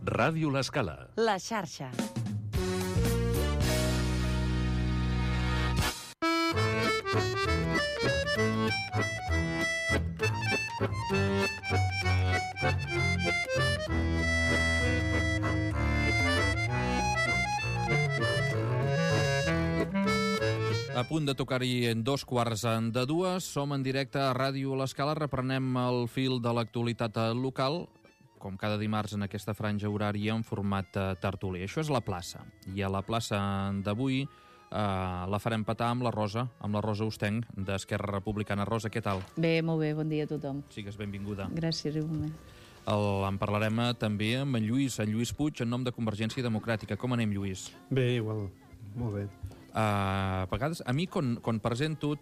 Ràdio L'Escala. La xarxa. A punt de tocar-hi en 2:15. Som en directe a Ràdio L'Escala. Reprenem el fil de l'actualitat local, com cada dimarts en aquesta franja horària en format tertuli. Això és la plaça. I a la plaça d'avui la farem petar amb la Rosa Ostenc, d'Esquerra Republicana. Rosa, què tal? Bé, molt bé, bon dia a tothom. Sigues benvinguda. Gràcies, igualment. En parlarem també amb en Lluís Puig, en nom de Convergència Democràtica. Com anem, Lluís? Bé, igual, molt bé. A vegades, a mi, quan presento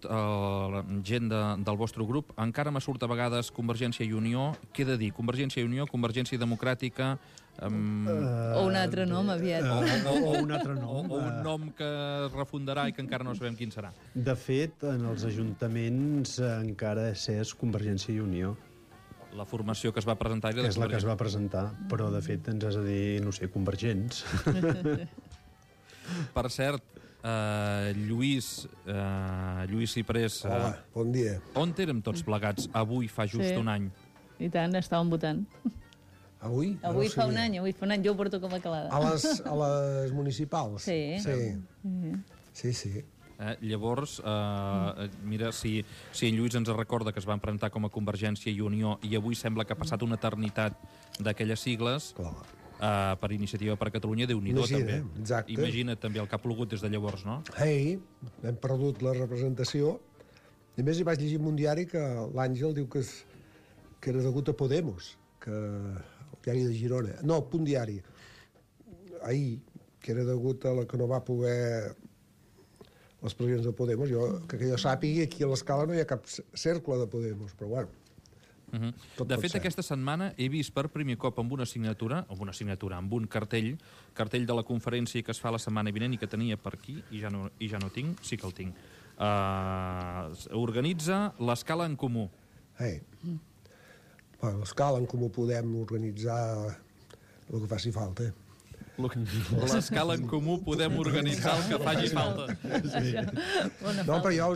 gent del vostre grup, encara me surt a vegades Convergència i Unió. Què he de dir? Convergència i Unió, Convergència Democràtica... O un altre nom, aviat. O un altre nom. O un nom que es refundarà i que encara no sabem quin serà. De fet, en els ajuntaments encara és Convergència i Unió. La formació que es va presentar... És la que es va presentar, però de fet ens has de dir, no sé, convergents. Per cert, Lluís Ciprés... Hola, bon dia. On érem tots plegats avui fa just un any? I tant, estàvem votant. Avui? Avui fa un any, jo ho porto com a calada. A les municipals? Sí. Sí. Llavors, mira, si en Lluís ens recorda que es van presentar com a Convergència i Unió i avui sembla que ha passat una eternitat d'aquelles sigles... Clar. Per Iniciativa per Catalunya, Déu-n'hi-do, també. Exacte. Imagina't també el que ha plogut des de llavors, no? Hem perdut la representació. I a més, hi vaig llegir en un diari que l'Àngel diu que era degut a Podemos, que el diari de Girona. No, Punt Diari. Ahir, que era degut a la que no va poder les presidents de Podemos. Que jo sàpigui, aquí a l'Escala no hi ha cap cercle de Podemos, però bueno. De fet, aquesta setmana he vist per primer cop amb un cartell de la conferència que es fa la setmana vinent i que tenia per aquí, i ja no tinc, sí que el tinc. Organitza l'Escala en Comú. L'Escala en Comú podem organitzar el que faci falta. L'Escala en Comú podem organitzar el que faci falta. No, però jo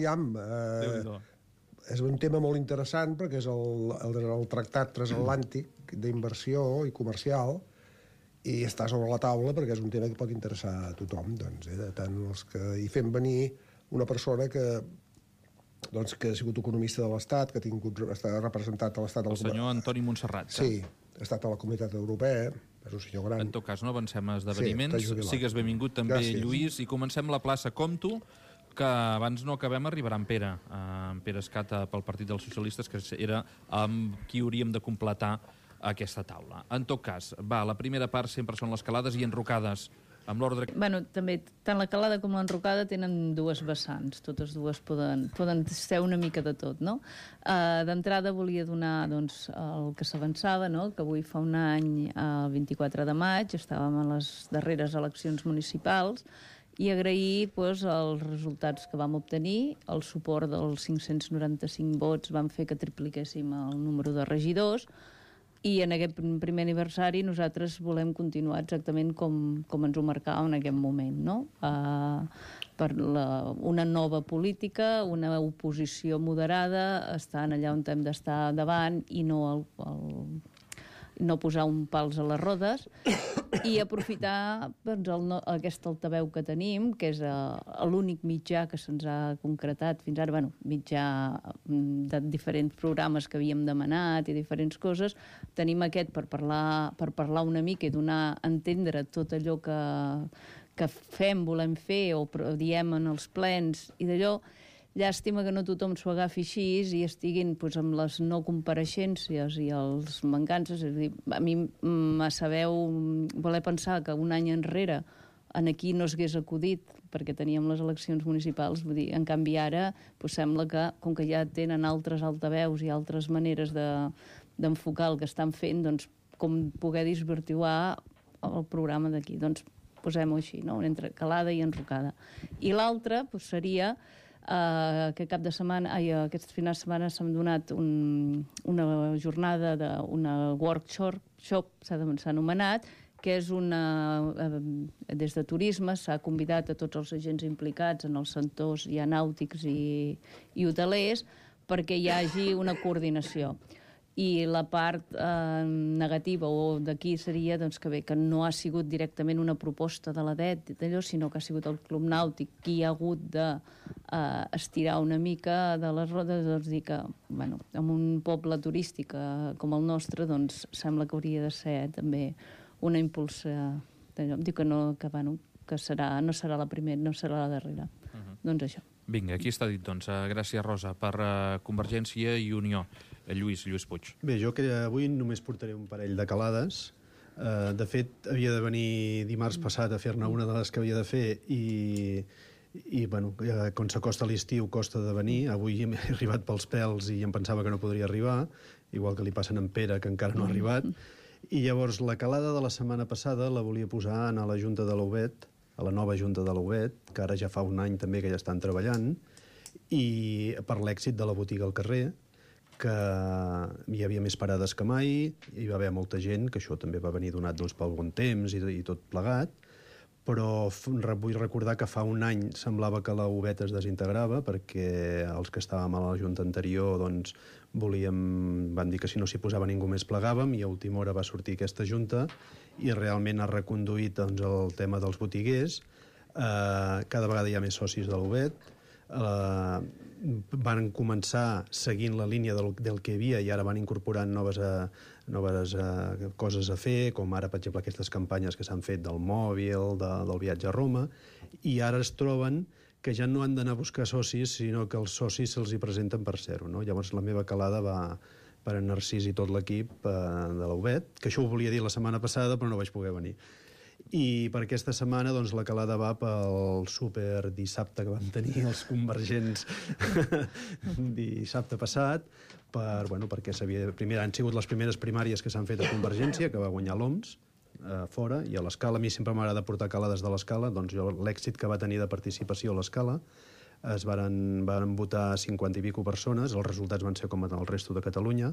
ja... És un tema molt interessant perquè és el tractat transatlàntic d'inversió i comercial i està sobre la taula perquè és un tema que pot interessar a tothom, doncs, tant els que hi fem venir una persona que ha sigut economista de l'Estat, que està representat a l'Estat... El senyor Antoni Montserrat. Sí, ha estat a la Comunitat Europea, és un senyor gran. En tot cas, no avancem a esdeveniments. Sigues benvingut també, gràcies. Lluís, i comencem la plaça com tu, que abans no acabem arribarà en Pere Escata pel Partit dels Socialistes, que era amb qui hauríem de completar aquesta taula. En tot cas, la primera part sempre són les calades i enrocades, amb l'ordre... També, tant la calada com l'enrocada tenen dues vessants, totes dues poden ser una mica de tot, no? D'entrada volia donar, doncs, el que s'avançava, no?, que avui fa un any, el 24 de maig, estàvem a les darreres eleccions municipals, i agrair els resultats que vam obtenir. El suport dels 595 vots van fer que tripliquéssim el número de regidors i en aquest primer aniversari nosaltres volem continuar exactament com ens ho marcava en aquest moment, no? Per una nova política, una oposició moderada, estant allà on hem d'estar davant i no posar un pals a les rodes i aprofitar aquest altaveu que tenim, que és l'únic mitjà que se'ns ha concretat fins ara, mitjà de diferents programes que havíem demanat i diferents coses, tenim aquest per parlar una mica i donar a entendre tot allò que fem, volem fer o diem en els plens i d'allò. Llàstima que no tothom s'ho agafi així i estiguin amb les no compareixences i els mancances. És a dir, a mi me sabeu voler pensar que un any enrere aquí no s'hagués acudit perquè teníem les eleccions municipals. Vull dir, en canvi ara sembla que, com que ja tenen altres altaveus i altres maneres d'enfocar el que estan fent, doncs com poder desvirtuar el programa d'aquí. Doncs posem-ho així, no? Entre calada i enrocada. I l'altre seria aquest final de setmana s'ha donat una jornada, una workshop, s'ha anomenat, que és des de turisme s'ha convidat a tots els agents implicats en els sectors ja nàutics i hotelers perquè hi hagi una coordinació. I la part negativa o d'aquí seria que no ha sigut directament una proposta de la DET, sinó que ha sigut el Club Nàutic qui ha hagut d'estirar una mica de les rodes, dir que en un poble turístic com el nostre sembla que hauria de ser també una impulsa. Dic que no serà la primera, no serà la darrera. Doncs això. Vinga, aquí està dit, gràcies, Rosa, per Convergència i Unió. Lluís Puig. Bé, jo que avui només portaré un parell de calades. De fet, havia de venir dimarts passat a fer-ne una de les que havia de fer i quan s'acosta l'estiu costa de venir. Avui he arribat pels pèls i em pensava que no podria arribar, igual que li passen a en Pere, que encara no ha arribat. I llavors la calada de la setmana passada la volia posar a la Junta de l'Auvet, a la nova Junta de l'Auvet, que ara ja fa un any també que ja estan treballant, i per l'èxit de la botiga al carrer, que hi havia més parades que mai, hi va haver molta gent, que això també va venir donat pel bon temps i tot plegat, però vull recordar que fa un any semblava que l'Auvet es desintegrava perquè els que estàvem a la Junta anterior van dir que si no s'hi posava ningú més plegàvem i a última hora va sortir aquesta Junta i realment ha reconduït el tema dels botiguers. Cada vegada hi ha més socis de l'Auvet. Van començar seguint la línia del que hi havia i ara van incorporant noves coses a fer, com ara, per exemple, aquestes campanyes que s'han fet del mòbil, del viatge a Roma, i ara es troben que ja no han d'anar a buscar socis, sinó que els socis se'ls hi presenten per ser-ho, no? Llavors la meva calada va per en Narcís i tot l'equip de l'Auvet, que això ho volia dir la setmana passada, però no vaig poder venir. I per aquesta setmana la calada va pel súper dissabte que vam tenir els convergents dissabte passat, perquè han sigut les primeres primàries que s'han fet a Convergència, que va guanyar l'OMS fora, i a l'Escala, a mi sempre m'agrada portar calades de l'Escala, doncs l'èxit que va tenir de participació a l'Escala, van votar 50 i pico persones, els resultats van ser com el resto de Catalunya,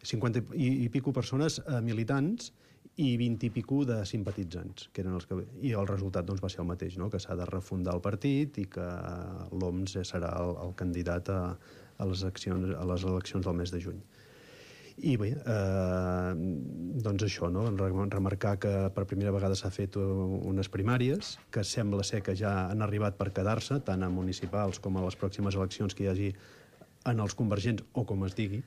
50 i pico persones militants i 20 i pico de simpatitzants, que eren els que... I el resultat va ser el mateix, no? Que s'ha de refundar el partit i que l'OMS serà el candidat a les eleccions del mes de juny. I bé, doncs això, no? Remarcar que per primera vegada s'ha fet unes primàries, que sembla ser que ja han arribat per quedar-se, tant a municipals com a les pròximes eleccions que hi hagi en els convergents, o com es digui,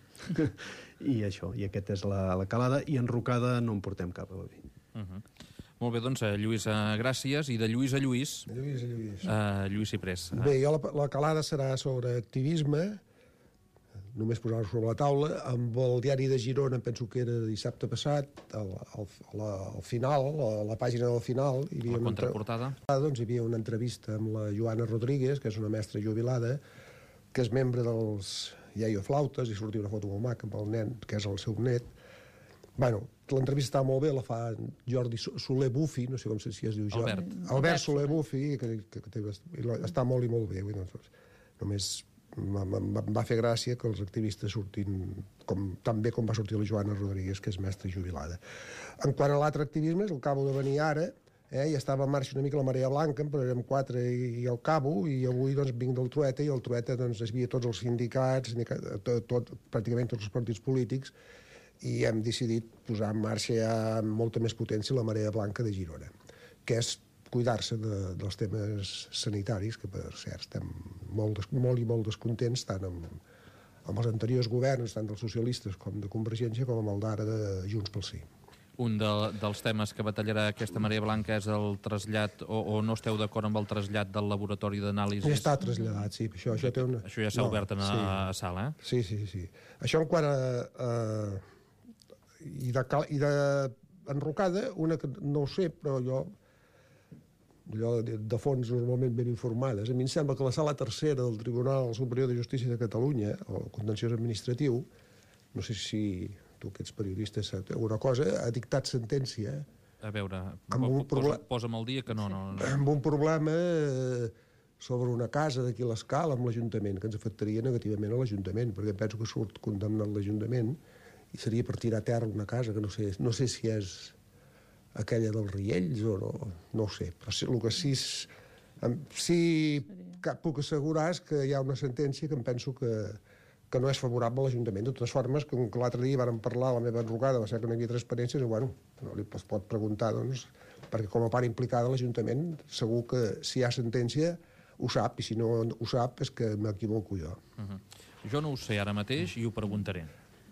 i això, i aquesta és la calada, i enrocada no en portem cap avui. Molt bé, doncs, Lluís, gràcies, i de Lluís a Lluís. Lluís Ciprés. Bé, jo la calada serà sobre activisme, només posar-ho sobre la taula, amb el diari de Girona, penso que era dissabte passat, al final, a la pàgina del final... La contraportada. Doncs hi havia una entrevista amb la Joana Rodríguez, que és una mestra jubilada, que és membre dels Iaioflautes, i sortia una foto molt maca amb el nen, que és el seu net. Bueno, l'entrevista està molt bé, la fa Jordi Soler Bufi, no sé com si es diu Albert Soler Bufi, que està molt i molt bé. Només em va fer gràcia que els activistes surtin tan bé com va sortir la Joana Rodríguez, que és mestra jubilada. En quant a l'altre activisme, el acabo de venir ara, ja estava en marxa una mica la Marea Blanca, però érem 4 i al cabo, i avui vinc del Trueta, i al Trueta hi havia tots els sindicats, pràcticament tots els partits polítics, i hem decidit posar en marxa ja amb molta més potència la Marea Blanca de Girona, que és cuidar-se dels temes sanitaris, que per cert estem molt descontents, tant amb els anteriors governs, tant dels socialistes com de Convergència, com amb el d'ara de Junts pel Sí. Un dels temes que batallarà aquesta Marea Blanca és el trasllat, o no esteu d'acord amb el trasllat del laboratori d'anàlisis? Ja està traslladat, sí. Això ja s'ha obert a sala, eh? Sí. Això en quant a... I d'enrocada, una que no ho sé, però allò de fons normalment ben informades. A mi em sembla que la sala tercera del Tribunal Superior de Justícia de Catalunya, el contenciós administratiu, no sé si tu que ets periodista saps alguna cosa, ha dictat sentència. A veure, posa'm el dia que no. Amb un problema sobre una casa d'aquí a l'Escala amb l'Ajuntament, que ens afectaria negativament a l'Ajuntament, perquè penso que surt condemnat l'Ajuntament i seria per tirar a terra una casa que no sé si és aquella dels Riells o no ho sé, però el que sí puc assegurar és que hi ha una sentència que em penso que no és favorable a l'Ajuntament. De totes formes, com que l'altre dia vàrem parlar, la meva advocada va ser que no hi havia transparència, bueno, no li pot preguntar, doncs, perquè com a part implicada l'Ajuntament, segur que si hi ha sentència ho sap, i si no ho sap és que m'equivoco jo. Jo no ho sé ara mateix i ho preguntaré.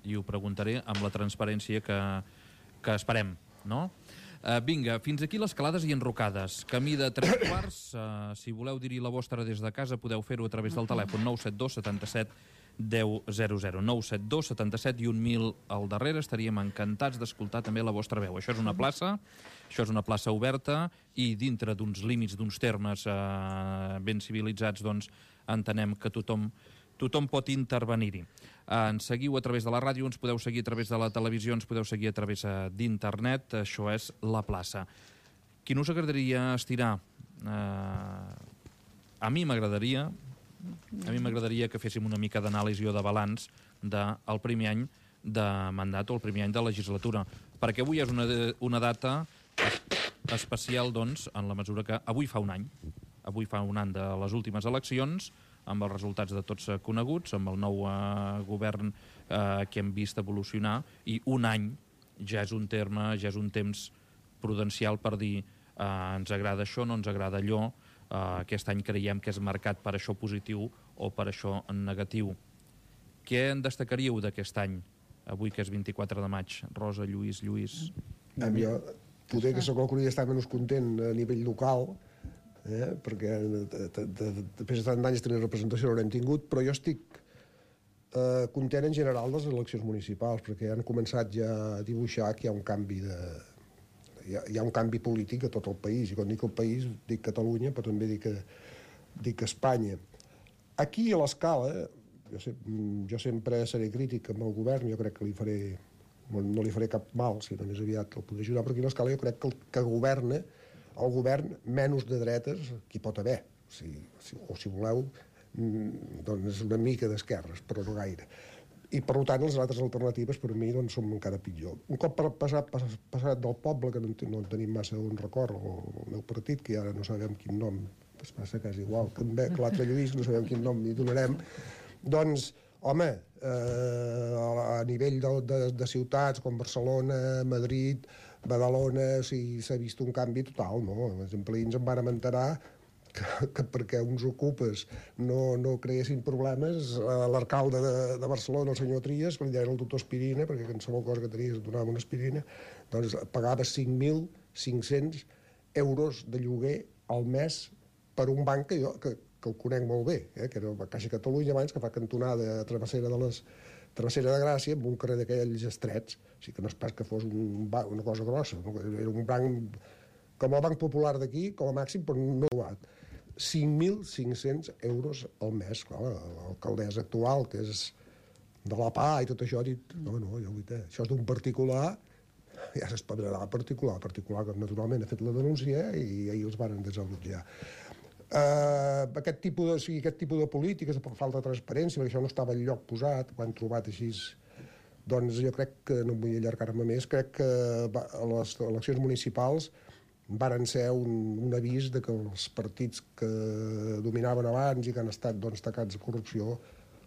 I ho preguntaré amb la transparència que esperem, no? Vinga, fins aquí les calades i enrocades. Camí de 3 quarts. Si voleu dir-hi la vostra des de casa, podeu fer-ho a través del telèfon 972 77 1000. 972 77 i 1000 al darrere. Estaríem encantats d'escoltar també la vostra veu. Això és una plaça oberta i dintre d'uns límits, d'uns termes ben civilitzats, doncs entenem que tothom pot intervenir-hi. Ens seguiu a través de la ràdio, ens podeu seguir a través de la televisió, ens podeu seguir a través d'internet. Això és La Plaça. Quin us agradaria estirar? A mi m'agradaria que féssim una mica d'anàlisi o de balanç del primer any de mandat o el primer any de legislatura, perquè avui és una data especial, doncs, en la mesura que avui fa un any de les últimes eleccions, amb els resultats de tots coneguts, amb el nou govern que hem vist evolucionar, i un any ja és un temps prudencial per dir ens agrada això, no ens agrada allò, aquest any creiem que és marcat per això positiu o per això negatiu. Què en destacaríeu d'aquest any, avui que és 24 de maig? Rosa, Lluís... Jo poder que sóc el que hauria d'estar menys content a nivell local, perquè després de tant d'anys tenir representació no l'hem tingut, però jo estic content en general de les eleccions municipals, perquè han començat ja a dibuixar que hi ha un canvi hi ha un canvi polític a tot el país, i quan dic el país dic Catalunya, però també dic Espanya. Aquí a l'Escala, jo sempre seré crític amb el govern, jo crec que no li faré cap mal, si no més aviat el podré ajudar, però aquí a l'Escala jo crec que governa el govern menys de dretes que hi pot haver, o si voleu, doncs una mica d'esquerres, però no gaire. I, per tant, les altres alternatives, per mi, doncs, són encara pitjor. Un cop passat del poble, que no en tenim massa un record, el meu partit, que ara no sabem quin nom, es passa que és igual que l'altre Lluís, no sabem quin nom li donarem, doncs, home, a nivell de ciutats com Barcelona, Madrid, Badalona, s'ha vist un canvi total, no? Els empleïns en van enterar que perquè uns ocupes no creessin problemes, l'alcalde de Barcelona, el senyor Trias, que li deien el doctor Aspirina, perquè qualsevol cosa que tenies et donava una aspirina, doncs pagava 5.500 euros de lloguer al mes per un banc que el conec molt bé, que era la Caixa Catalunya abans, que fa cantonada a Travessera de Gràcia, amb un carrer d'aquells estrets, o sigui que no és pas que fos una cosa grossa, era un banc com el Banc Popular d'aquí, com a màxim, però no ho ha. 5.500 euros al mes. Clar, l'alcaldessa actual, que és de la PA i tot això, ha dit, no, això és d'un particular, ja s'espavilarà particular, que naturalment ha fet la denúncia i ahir els van desallotjar. Aquest tipus de polítiques, per falta de transparència, perquè això no estava enlloc posat, ho han trobat així, doncs jo crec que, no vull allargar-me més, crec que les eleccions municipals varen ser un avís de que els partits que dominaven abans i que han estat tacats de corrupció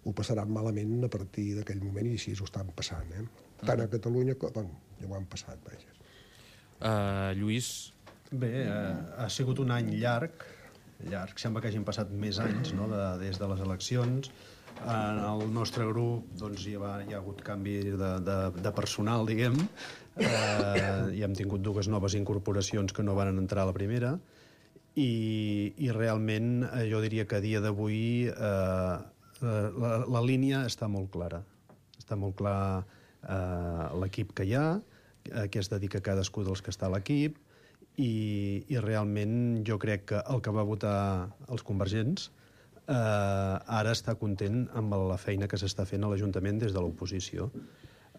ho passaran malament a partir d'aquell moment, i així ho estan passant. Tant a Catalunya com... ja ho han passat, vaja. Lluís? Bé, ha sigut un any llarg, sembla que hagin passat més anys, no?, des de les eleccions. En el nostre grup doncs, hi ha hagut canvi de personal, diguem, i hem tingut 2 noves incorporacions que no van entrar a la primera, i realment jo diria que a dia d'avui la línia està molt clara. Està molt clar l'equip que hi ha, què es dedica cadascú dels que està a l'equip, i realment jo crec que el que va votar els convergents ara està content amb la feina que s'està fent a l'Ajuntament des de l'oposició.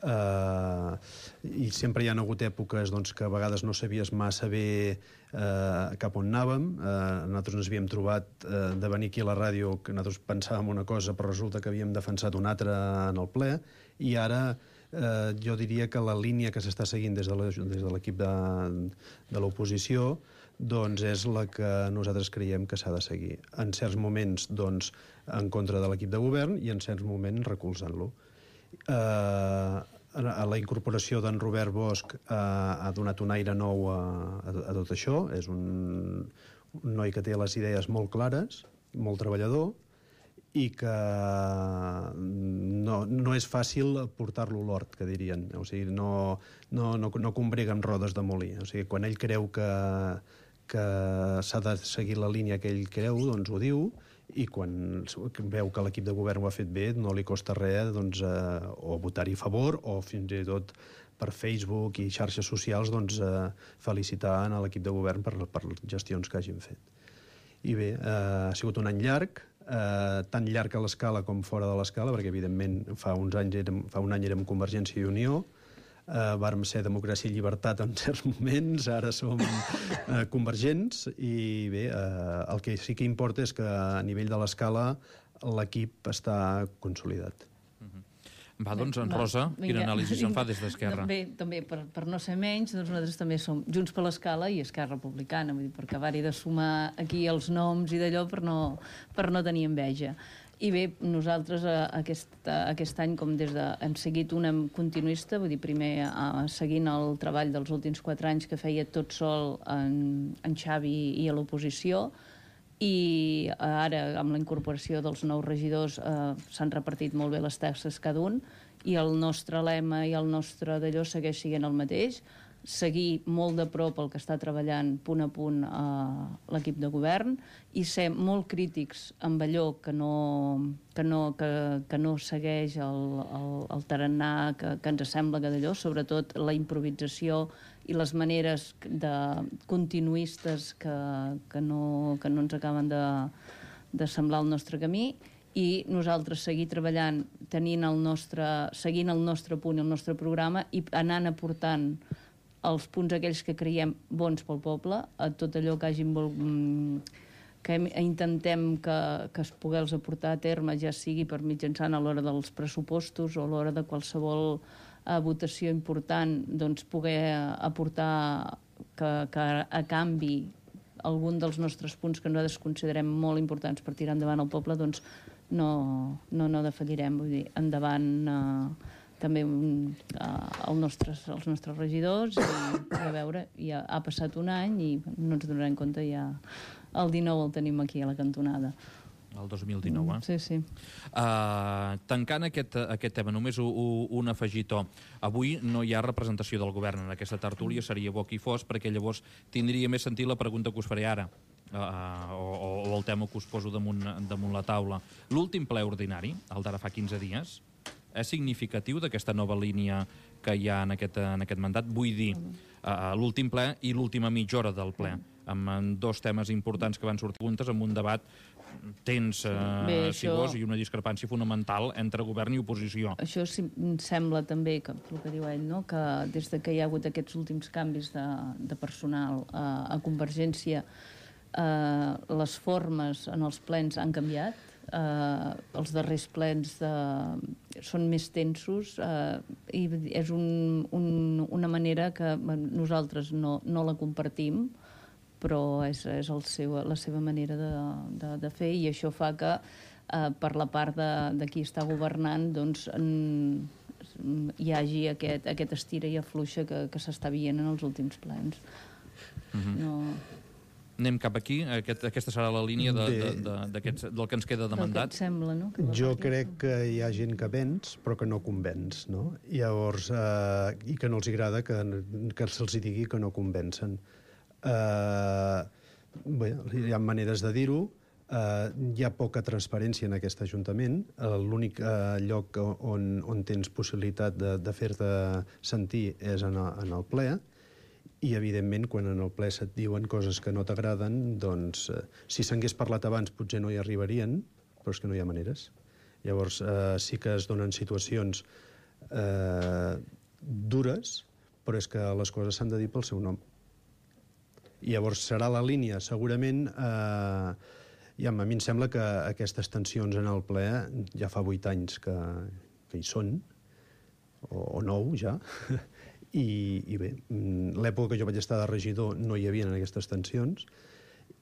I sempre hi ha hagut èpoques doncs, que a vegades no sabies massa bé cap on anàvem. Nosaltres ens havíem trobat de venir aquí a la ràdio, que nosaltres pensàvem una cosa però resulta que havíem defensat una altra en el ple, i ara jo diria que la línia que s'està seguint des de l'equip de l'oposició doncs és la que nosaltres creiem que s'ha de seguir. En certs moments doncs, en contra de l'equip de govern i en certs moments recolzant-lo. La incorporació d'en Robert Bosch ha donat un aire nou a tot això. És un noi que té les idees molt clares, molt treballador, i que no és fàcil portar-lo a l'hort, que dirien. O sigui, no combrega amb rodes de molí. O sigui, quan ell creu que s'ha de seguir la línia que ell creu, doncs ho diu, i quan veu que l'equip de govern ho ha fet bé no li costa res doncs, o votar-hi a favor o fins i tot per Facebook i xarxes socials doncs, felicitar a l'equip de govern per les gestions que hagin fet. I bé, ha sigut un any llarg, tan llarg a l'escala com fora de l'escala, perquè evidentment fa un any érem Convergència i Unió, vàrem ser Democràcia i Llibertat en certs moments, ara som convergents, i bé, el que sí que importa és que a nivell de l'escala l'equip està consolidat. Va, doncs, en Rosa, quina anàlisi se'n fa des d'Esquerra? També, per no ser menys, doncs nosaltres també som Junts per l'Escala i Esquerra Republicana, vull dir, per acabar-hi de sumar aquí els noms i d'allò per no tenir enveja. I bé, nosaltres aquest any, com hem seguit una continuista, vull dir, primer seguint el treball dels últims 4 anys que feia tot sol en Xavi i a l'oposició, i ara, amb la incorporació dels nous regidors, s'han repartit molt bé les tasques cada un, i el nostre lema i el nostre d'allò segueix sent el mateix, seguir molt de prop el que està treballant punt a punt l'equip de govern i ser molt crítics amb allò que no segueix el tarannà que ens sembla que d'allò, sobretot la improvisació i les maneres continuistes que no ens acaben de semblar el nostre camí, i nosaltres seguir treballant seguint el nostre punt i el nostre programa i anant aportant els punts aquells que creiem bons pel poble, a tot allò que intentem que es pogués aportar a terme, ja sigui per mitjançant a l'hora dels pressupostos o a l'hora de qualsevol votació important, doncs poder aportar que a canvi algun dels nostres punts que nosaltres considerem molt importants per tirar endavant el poble, doncs no defallirem, vull dir, endavant també els nostres regidors, i a veure, ja ha passat un any i no ens donarem compte, ja el 19 el tenim aquí a la cantonada. El 2019, eh? Sí. Tancant aquest tema, només un afegitó. Avui no hi ha representació del govern en aquesta tertúlia, seria bo que hi fos, perquè llavors tindria més sentit la pregunta que us faré ara, o el tema que us poso damunt la taula. L'últim ple ordinari, el d'ara fa 15 dies, és significatiu d'aquesta nova línia que hi ha en aquest mandat? Vull dir, l'últim ple i l'última mitja hora del ple, amb 2 temes importants que van sortir juntes, amb un debat tens, si vols, i una discrepància fonamental entre govern i oposició. Això sembla també, el que diu ell, no? Que des que hi ha hagut aquests últims canvis de personal a Convergència, les formes en els plens han canviat. Els darrers plens són més tensos, i és una manera que nosaltres no la compartim, però és la seva manera de fer, i això fa que per la part de qui està governant doncs hi hagi aquest estira i afluixa que s'està veient en els últims plens. Anem cap aquí? Aquesta serà la línia del que ens queda de mandat? El que et sembla, no? Jo crec que hi ha gent que venç, però que no convenç, no? Llavors, i que no els agrada que se'ls digui que no convencen. Bé, hi ha maneres de dir-ho. Hi ha poca transparència en aquest Ajuntament. L'únic lloc on tens possibilitat de fer-te sentir és en el ple. I, evidentment, quan en el ple se't diuen coses que no t'agraden, doncs, si s'hagués parlat abans potser no hi arribarien, però és que no hi ha maneres. Llavors, sí que es donen situacions dures, però és que les coses s'han de dir pel seu nom. I llavors serà la línia, segurament... a mi em sembla que aquestes tensions en el ple ja fa 8 anys que hi són, o 9 ja, i bé, l'època que jo vaig estar de regidor no hi havia aquestes tensions,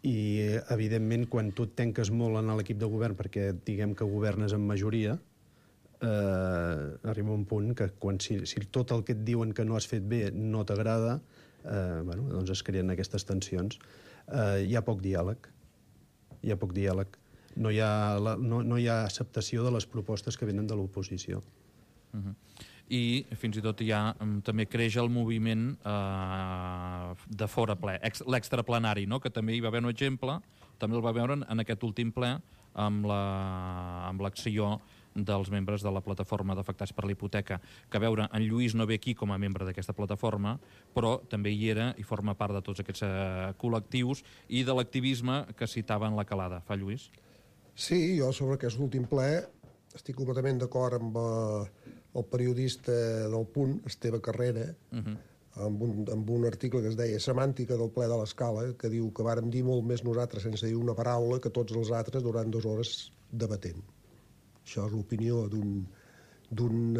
i evidentment quan tu et tanques molt en l'equip de govern perquè diguem que governes en majoria, arriba un punt que si tot el que et diuen que no has fet bé no t'agrada, doncs es creen aquestes tensions. Hi ha poc diàleg. No hi ha acceptació de les propostes que venen de l'oposició. I fins i tot també creix el moviment de fora ple, l'extraplenari, que també hi va haver un exemple, també el va veure en aquest últim ple amb l'acció dels membres de la plataforma d'afectats per la hipoteca, que a veure, en Lluís no ve aquí com a membre d'aquesta plataforma, però també hi era i forma part de tots aquests col·lectius i de l'activisme que citava en la Calada. Fa, Lluís? Sí, jo sobre aquest últim ple estic completament d'acord amb el periodista del Punt, Esteve Carrera, amb un article que es deia Semàntica del ple de l'Escala, que diu que vàrem dir molt més nosaltres sense dir una paraula que tots els altres durant 2 hores debatent. Això és l'opinió d'un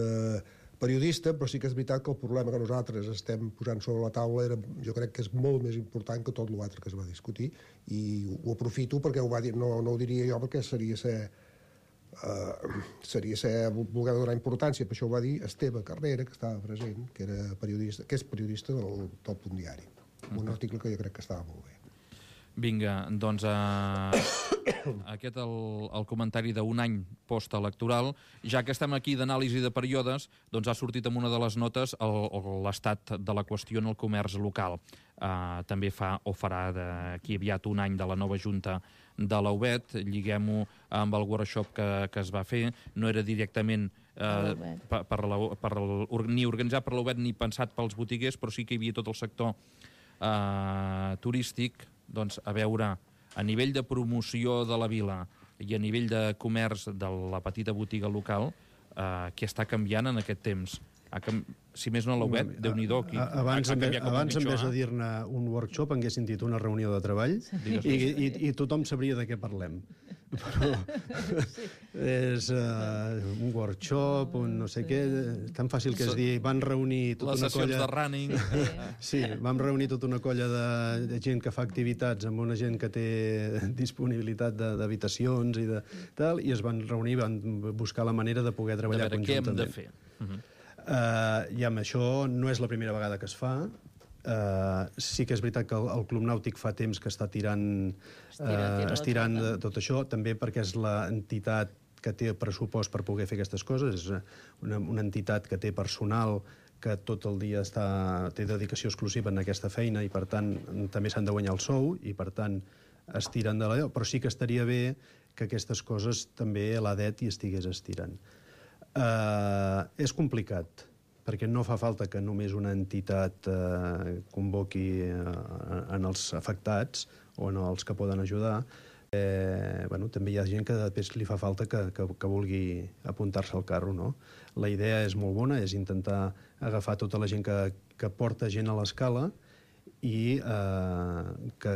periodista, però sí que és veritat que el problema que nosaltres estem posant sobre la taula jo crec que és molt més important que tot l'altre que es va discutir, i ho aprofito perquè ho va dir, no ho diria jo perquè seria voler donar importància, per això ho va dir Esteve Carrera, que estava present, que és periodista del Punt Diari, un article que jo crec que estava molt bé. Vinga, doncs aquest el comentari d'un any postelectoral. Ja que estem aquí d'anàlisi de períodes, doncs ha sortit en una de les notes l'estat de la qüestió en el comerç local. També fa o farà d'aquí aviat un any de la nova junta de la UBET. Lliguem-ho amb el workshop que es va fer. No era directament ni organitzat per la UBET ni pensat pels botiguers, però sí que hi havia tot el sector turístic. Doncs a veure, a nivell de promoció de la vila i a nivell de comerç de la petita botiga local, què està canviant en aquest temps? Si més no la UBET, Déu-n'hi-do. Abans, en vez de dir-ne un workshop, haguessin dit una reunió de treball i tothom sabria de què parlem. Però és un workshop, un no sé què, tan fàcil que és dir, van reunir tota una colla... Les sessions de running. Sí, vam reunir tota una colla de gent que fa activitats amb una gent que té disponibilitat d'habitacions i de tal, i es van reunir, van buscar la manera de poder treballar conjuntament. Què hem de fer? I amb això no és la primera vegada que es fa. Sí que és veritat que el Club Nàutic fa temps que està estirant tot això, també perquè és l'entitat que té pressupost per poder fer aquestes coses, és una entitat que té personal que tot el dia té dedicació exclusiva en aquesta feina i per tant també s'han de guanyar el sou i per tant estiren de l'allò, però sí que estaria bé que aquestes coses també l'ADET hi estigués estirant. És complicat, perquè no fa falta que només una entitat convoqui en els afectats o en els que poden ajudar. També hi ha gent que després li fa falta que vulgui apuntar-se al carro, no? La idea és molt bona, és intentar agafar tota la gent que porta gent a l'escala i que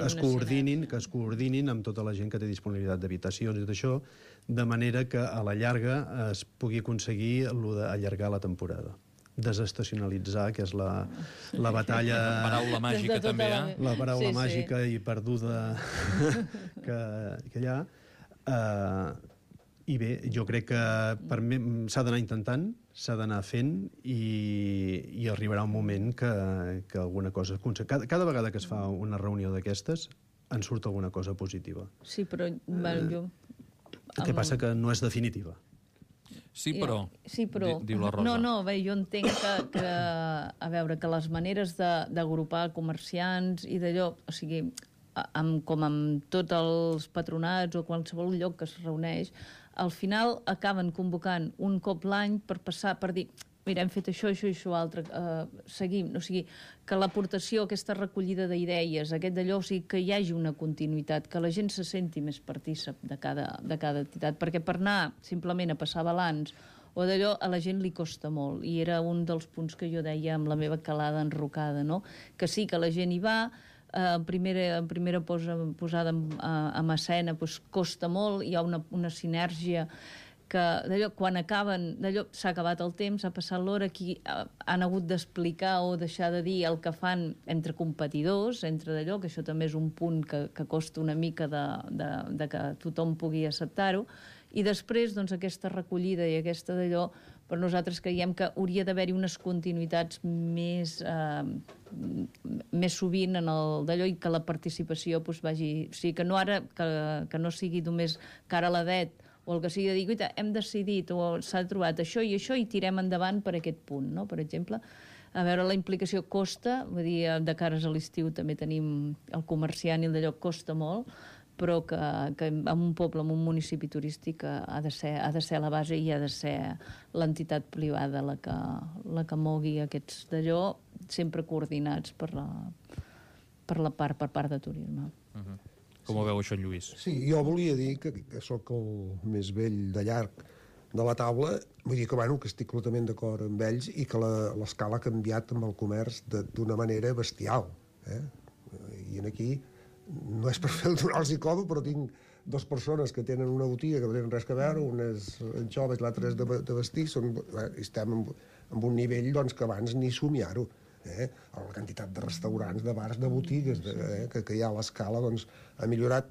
es coordinin amb tota la gent que té disponibilitat d'habitacions i tot això, de manera que a la llarga es pugui aconseguir allargar la temporada. Desestacionalitzar, que és la batalla... La paraula màgica també, La paraula màgica i perduda que hi ha. I bé, jo crec que s'ha d'anar intentant, s'ha d'anar fent i arribarà un moment que alguna cosa... Cada vegada que es fa una reunió d'aquestes en surt alguna cosa positiva. Sí, però jo... El que passa que no és definitiva. Sí, però... Diu la Rosa. No, bé, jo entenc que a veure, que les maneres d'agrupar comerciants i d'allò, o sigui, com amb tots els patronats o qualsevol lloc que es reuneix, al final acaben convocant un cop l'any per dir mira, hem fet això, això i això altre, seguim. O sigui, que l'aportació, aquesta recollida d'idees, aquest d'allò, o sigui, que hi hagi una continuïtat, que la gent se senti més partícip de cada entitat, perquè per anar simplement a passar balanç o d'allò a la gent li costa molt, i era un dels punts que jo deia amb la meva calada enrocada, no? Que sí que la gent hi va, en primera posada en escena doncs costa molt, hi ha una sinergia que d'allò, quan acaben, d'allò s'ha acabat el temps, ha passat l'hora, aquí han hagut d'explicar o deixar de dir el que fan entre competidors, entre d'allò, que això també és un punt que costa una mica de que tothom pugui acceptar-ho, i després, doncs, aquesta recollida i aquesta d'allò, per nosaltres creiem que hauria d'haver-hi unes continuïtats més sovint en el d'allò, i que la participació doncs, vagi... O sigui, que no ara, que no sigui només cara a la det, o el que sigui de dir, guaita, hem decidit o s'ha trobat això i tirem endavant per aquest punt, no? Per exemple, a veure, la implicació costa, vull dir, de cares a l'estiu també tenim el comerciant i el d'allò costa molt, però que en un poble, en un municipi turístic, ha de ser la base i ha de ser l'entitat privada la que mogui aquests d'allò, sempre coordinats per part de turisme. Com ho veu això, Lluís? Sí, jo volia dir que sóc el més vell de llarg de la taula, vull dir que, bueno, que estic completament d'acord amb ells i que l'escala ha canviat amb el comerç d'una manera bestial. I aquí no és per donar-los codi, però tinc dues persones que tenen una botiga que no tenen res a veure, una és anxoves, l'altra és de vestir, estem en un nivell doncs, que abans ni somiar-ho. La quantitat de restaurants, de bars, de botigues que hi ha a l'escala doncs, ha millorat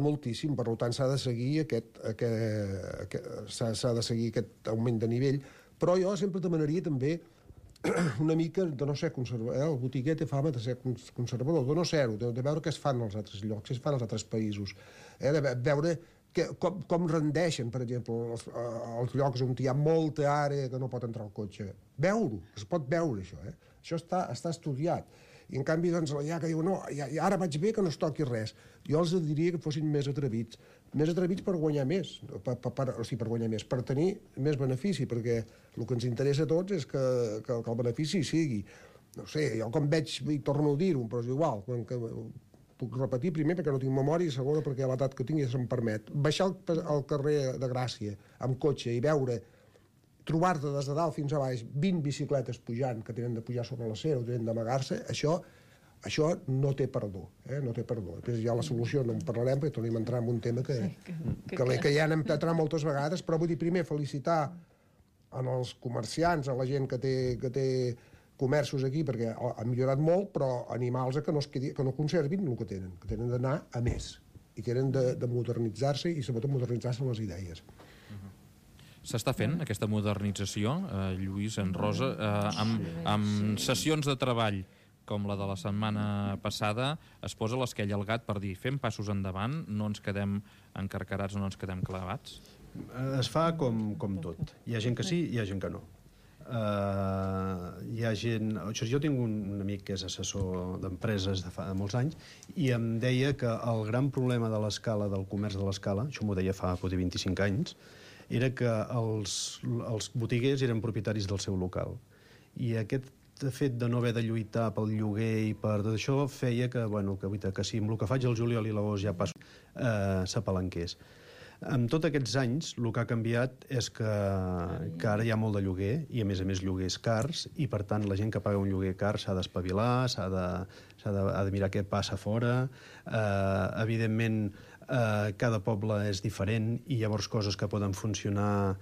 moltíssim. Per tant, s'ha de seguir aquest augment de nivell, però jo sempre demanaria també una mica de no ser conservador. El botiguer té fama de ser conservador, de no ser-ho, de veure què es fan als altres llocs, què es fan als altres països, de veure com rendeixen, per exemple, els llocs on hi ha molta àrea que no pot entrar el cotxe. Veure-ho, es pot veure, això. Això està estudiat. I, en canvi, doncs, ja que diu, no, ara vaig bé que no es toqui res. Jo els diria que fossin més atrevits. Més atrevits per guanyar més, per tenir més benefici, perquè el que ens interessa a tots és que el benefici sigui. No sé, jo com veig, i torno a dir-ho, però és igual, puc repetir primer perquè no tinc memòria i segona perquè a l'edat que tinc ja se'm permet. Baixar al carrer de Gràcia amb cotxe i veure, trobar-te des de dalt fins a baix 20 bicicletes pujant, que tenen de pujar sobre l'acera o tenen d'amagar-se, això no té perdó. No té perdó. Després ja la solució no en parlarem perquè tornem a entrar en un tema que ja hem entrat moltes vegades, però vull dir primer felicitar als comerciants, a la gent que té comerços aquí, perquè ha millorat molt, però animals que no conservin el que tenen d'anar a més, i tenen de modernitzar-se i sobretot modernitzar-se les idees. S'està fent aquesta modernització, Lluís, en Rosa, amb sessions de treball com la de la setmana passada, es posa l'esquella al gat per dir fem passos endavant, no ens quedem encarcarats o no ens quedem clavats? Es fa com tot. Hi ha gent que sí, hi ha gent que no. Hi ha gent... Jo tinc un amic que és assessor d'empreses de fa molts anys i em deia que el gran problema de l'escala, del comerç de l'escala, això m'ho deia fa 25 anys, era que els botiguers eren propietaris del seu local. I aquest fet de no haver de lluitar pel lloguer i per tot això feia que si amb el que faig el juliol i l'agost ja passo s'apalanqués. En tots aquests anys, el que ha canviat és que ara hi ha molt de lloguer i, a més lloguers cars, i, per tant, la gent que paga un lloguer car s'ha d'espavilar, ha de mirar què passa fora. Evidentment, cada poble és diferent i llavors coses que poden funcionar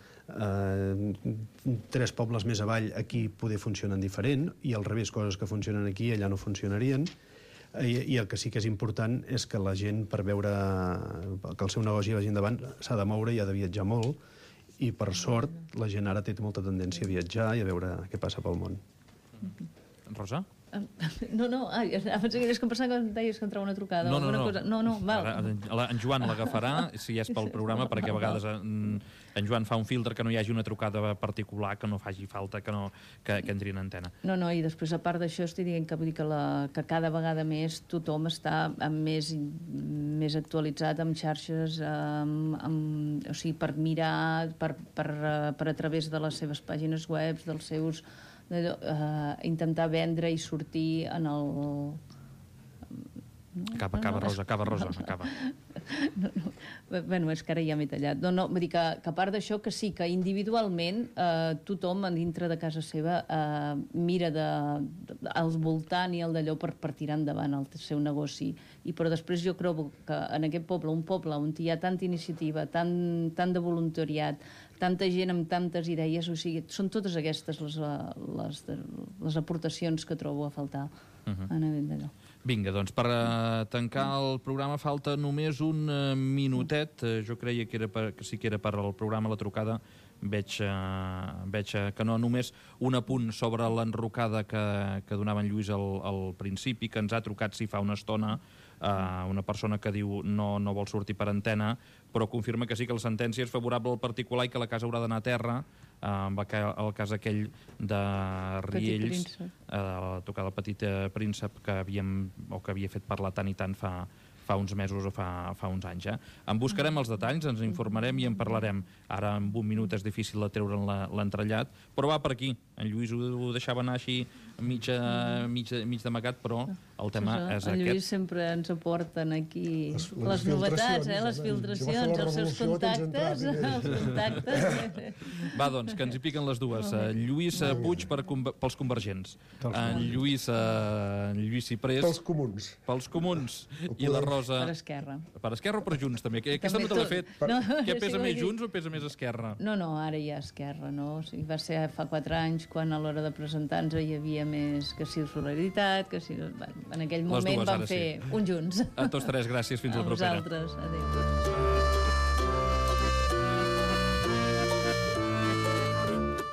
3 pobles més avall aquí poder funcionen diferent i al revés, coses que funcionen aquí allà no funcionarien. I el que sí que és important és que la gent, per veure que el seu negoci vagi endavant, s'ha de moure i ha de viatjar molt, i per sort la gent ara té molta tendència a viatjar i a veure què passa pel món. Rosa? No, abans que pensava que em deies que entrava una trucada o alguna cosa. No, val. En Joan l'agafarà, si és pel programa, perquè a vegades en Joan fa un filtre que no hi hagi una trucada particular, que no faci falta que entri en antena. No, i després, a part d'això, estic dient que vull dir que cada vegada més tothom està més actualitzat amb xarxes, o sigui, per mirar, per a través de les seves pàgines web, dels seus... intentar vendre i sortir en el... Acaba, Rosa, acaba. Bueno, és que ara ja m'he tallat. No, vull dir que a part d'això, que sí, que individualment tothom dintre de casa seva mira al voltant i al d'allò per tirar endavant el seu negoci. Però després jo trobo que en aquest poble, un poble on hi ha tanta iniciativa, tant de voluntariat, tanta gent amb tantes idees, o sigui, són totes aquestes les aportacions que trobo a faltar en aquest d'allò. Vinga, doncs per tancar el programa falta només un minutet. Jo creia que sí que era per al programa La Trucada. Veig que no. Només un apunt sobre l'enrocada que donava en Lluís al principi, que ens ha trucat fa una estona una persona que diu no vol sortir per antena, però confirma que sí que la sentència és favorable al particular i que la casa haurà d'anar a terra. El cas aquell de Riells, tocar el Petit Príncep, que havia fet parlar tant i tant fa uns mesos o fa uns anys. En buscarem els detalls, ens informarem i en parlarem. Ara, en un minut, és difícil de treure'n l'entrellat, però va per aquí. En Lluís ho deixava anar així mig d'amagat, però el tema és aquest. En Lluís sempre ens aporten aquí les novetats, les filtracions, els seus contactes. Va, doncs, que ens hi piquen les dues. Lluís Puig pels convergents. En Lluís Ciprés pels comuns. I la Rosa... Per Esquerra. Per Esquerra o per Junts, també? Aquesta no te l'he fet. Què pesa més, Junts o pesa més Esquerra? No, ara hi ha Esquerra, no? O sigui, va ser fa 4 anys quan a l'hora de presentar-nos hi havia més que si solidaritat, que si... En aquell moment vam fer un Junts. A tots tres, gràcies. Fins la propera. A vosaltres. Adéu.